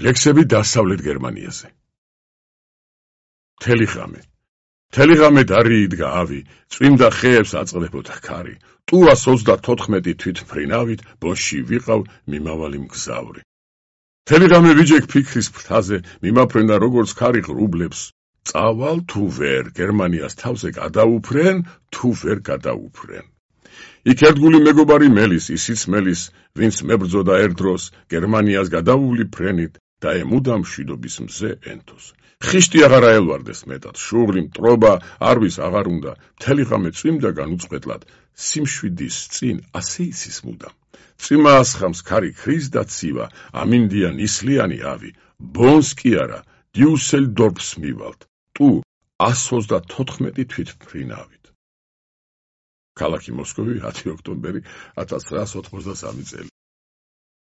ლექსები დასავლეთ გერმანიაზე. მთელი ღამე დარიიდგა ავი, წვიმდა ხეებს აწყდებოდა ქარი, ტურას 34 თვითმფრინავით ბოში ვიყავ მიმავალი მგზავრი. მთელი ღამე ვიჯექ ფიქრის ფრთაზე, მიმაფრენა როგორც ქარი ღრუბლებს, წავალ თუ ვერ, გერმანიას თავზე გადაუფრენ, თუ ვერ გადაუფრენ. იქ ერთგული მეგობარი მელის, ისიც მელის, ვინც მებრძოდა ერთ დროს გერმანიას გადავული ფრენით და ემუდამ მშვიდობის მზე ენთოს. ხიშტი აღარ აელვარდეს მეტად, შუღლი, მტრობა, არვის აღარ უნდა, მთელი ღამე წვიმდა განუწყვეტლად, სიმშვიდის წინ ასე იცის მუდამ. წვიმა ასხამს ქარი ქრის და ცივა, ამინდია ნისლიანი ავი, ბონს კი არა, დიუსელდორფს მივალთ, ტუ 134 თვითმფრინავით. ქალაქი მოსკოვი 10 ოქტომბერი 1983 წელი.